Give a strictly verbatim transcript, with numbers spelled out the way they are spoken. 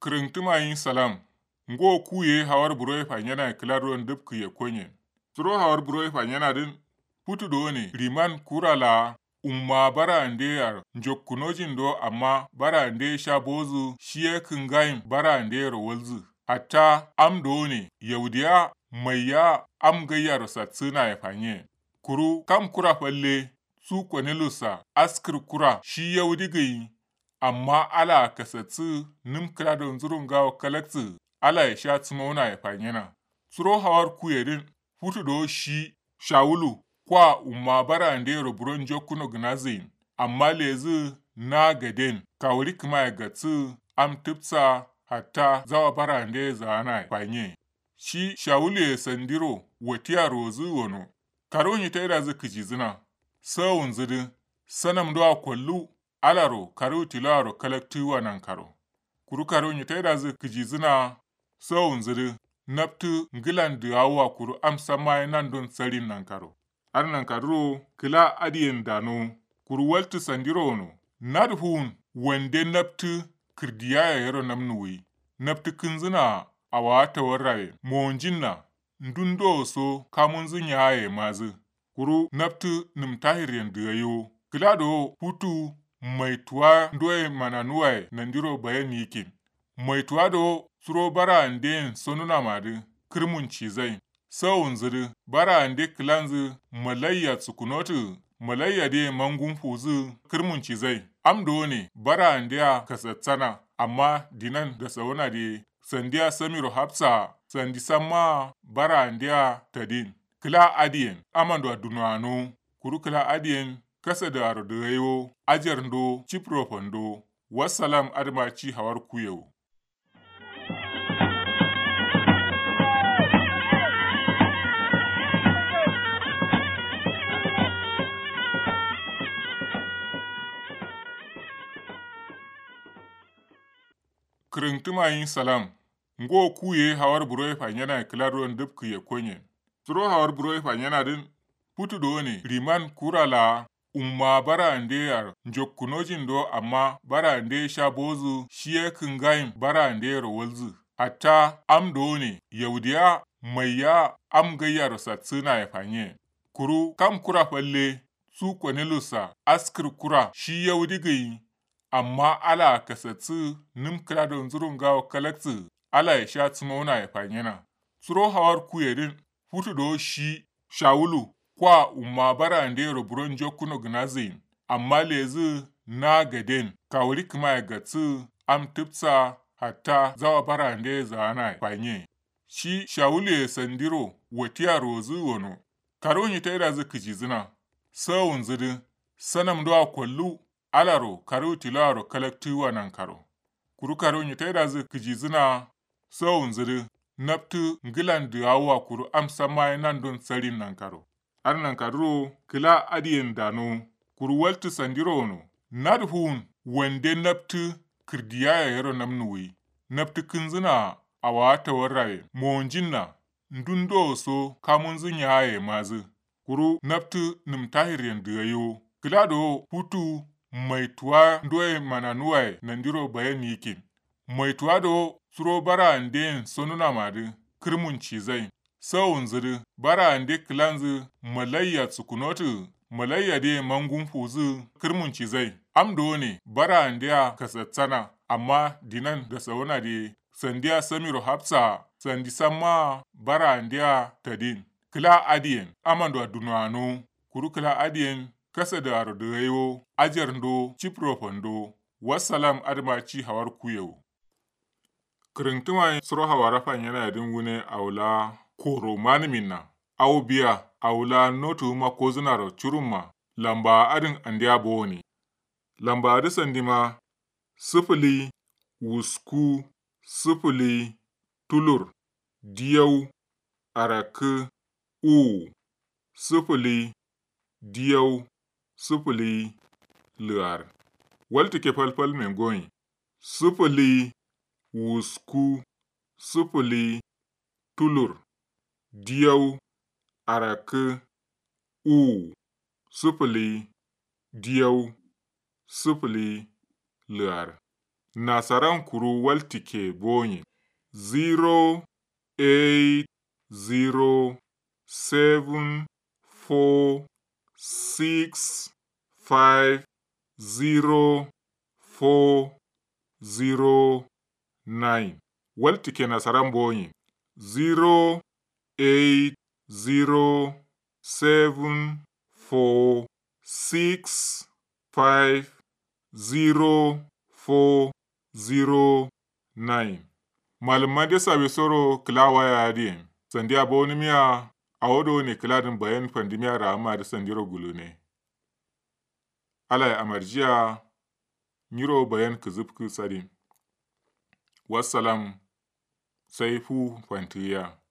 Kǝrǝngtǝma ye salam. Ngo kuye hawar buro ye fanyena ye kǝla duro ndǝb kǝye konyen. Suro hawar buro ye fanyena dǝn futu done riman kura laa umma bara ande yaro njokkunojin do amma bara ande sha bozǝ shiye kǝngayin bara ande yero walzǝ. Hatta am done yaudiya maiya am gaiyaro satsǝna ye fanyen. Kuru kam kura falle su konelussa askǝr kura shi yaudi gǝyi. Amma alaa kasatsǝ nǝm kǝla donzuro ngawo kalaktsǝ. Alaye sha tsǝmauna ye fanyena. Suro hawar kuye dǝn futu do shi shawulu kwa umma bara ande yero buron jokkuno gǝnazǝyin. Amma lezǝ na gaden kawuri kǝmaye gatsǝ am tǝbsa hatta zawa bara ande ye zaana ye fanye. Shi shawuluye sandiro watiya rozǝ wono. Karu nyi taidazǝ kǝjizǝna sawunzǝ dǝ sanamdo a kollu. Alaro karu tiloaro kalaktǝ wa nankaro. Kuru karu nyi taidazǝ kǝjizǝna sawunzǝ dǝ naptǝ ngǝlan dǝ awowa kuru am samma ye nandon sarin nankaro. Adǝ nankaruro kǝla adǝyen dano. Kuru waltǝ sandiro wono nadǝ fuwun wande naptǝ kǝrdiyaya yero namnuwuyi. Naptǝ kǝnzǝna awowa tawarrawe mowonjinna ndundowo so kamunzǝ nyaye mazǝ. Kuru naptǝ nǝmtahiryen dǝgaiwo kǝla dowo futu maituwa ndoye mananuwaye nandiro bayen yikkin. Maituwa dowo suro bara andeyen sonunama dǝ kǝrmun cizai. Sawunzǝ dǝ bara ande kǝlanzǝ malaiya tsukunotǝ. Malaiya dǝye mangun fuzǝ kǝrmun cizai. Am done bara andea kasatsana amma dinan dasawuna dǝye sandiya samiro hafsa sandi sammaa bara andea tadin. Kǝla adǝyen amandua dunoanowo kuru kǝla adǝyen kasadǝaro dǝgaiwo ajarndo cipro fando. Wassalam adǝma ci hawar kuyewo. Kǝrǝngtǝma ye salam. Ngo kuye hawar buro ye fanyena ye kǝla duro ndǝb kǝye konyen. Suro hawar buro ye fanyena dǝn futu done riman kura laa umma bara ande yaro njokkunojin do amma bara ande sha bozǝ shiye kǝngayin bara ande yero walzǝ. Hatta am done yaudiya maiya am gaiyaro satsǝna ye fanyen. Kuru kam kura falle su konelussa askǝr kura shi yaudi gǝyi. Amma alaa kasatsǝ nǝm kǝla donzuro ngawo kalaktsǝ. Alaye sha tsǝmauna ye fanyena. Suro hawar kuye dǝn futu do shi shawulu kwa umma bara ande yero buron jokkuno gǝnazǝyin. Amma lezǝ na gaden kawuri kǝmaye gatsǝ am tǝbsa hatta zawa bara ande ye zaana ye fanye. Shi shawuluye sandiro watiya rozǝ wono. Karu nyi taidazǝ kǝjizǝna sawunzǝ dǝ sanamdoa kollu. Alaro karu tiloaro kalaktǝ wa nankaro. Kuru karu nyi taidazǝ kǝjizǝna sawunzǝ dǝ naptǝ ngǝlan dǝ awowa kuru am samma ye nandon sarin nankaro. Adǝ nankaruro kǝla adǝyen dano. Kuru waltǝ sandiro wono nadǝ fuwun wande naptǝ kǝrdiyaya yero namnuwuyi. Naptǝ kǝnzǝna awowa tawarrawe mowonjinna ndundowo so kamunzǝ nyaye mazǝ. Kuru naptǝ nǝmtahiryen dǝgaiwo kǝla dowo futu maituwa ndoye mananuwaye nandiro bayen yikkin. Maituwa dowo suro bara andeyen sonunama dǝ kǝrmun cizai. Sawunzǝ dǝ bara ande kǝlanzǝ malaiya tsukunotǝ. Malaiya dǝye mangun fuzǝ kǝrmun cizai. Am done bara andea kasatsana amma dinan dasawuna dǝye sandiya samiro hafsa sandi sammaa bara andea tadin. Kǝla adǝyen amandua dunoanowo kuru kǝla adǝyen kasadǝaro dǝgaiwo ajarndo cipro fando. Wassalam adǝma ci hawar kuyewo. Kǝrǝngtǝma ye suro hawara fanyenaye dǝn wune awo laa koro manǝminna. Awo biya awo laa notuwuma kozǝnaro curumma. Lambawa adǝn andeya bowone. Lambawa dǝ sandima sǝfǝli wusku sǝfǝli tulur diyau arakkǝ uwu sǝfǝli diyau sǝfǝli lǝgar. Waltǝkke falfal mengonyi sǝfǝli wusku sǝfǝli tulur diyau arakkǝ uwu sǝfǝli diyau sǝfǝli lǝgar. Nasaran kuru waltike bonye. Zero eight zero seven four six five zero four zero nine. Waltike nasaran bonye. Zero eight zero seven four six five zero four zero nine. Malumma de sawisoro kǝla waya adǝ yen sandiya bowonǝmiya. Awo do ne kǝladǝn bayan fandǝmiya rahamma dǝ sandiro gulune. Alaye amarjiya. Nyiro bayan kǝzǝfkǝ sadin. Wassalam. Sai fu fantǝgǝya.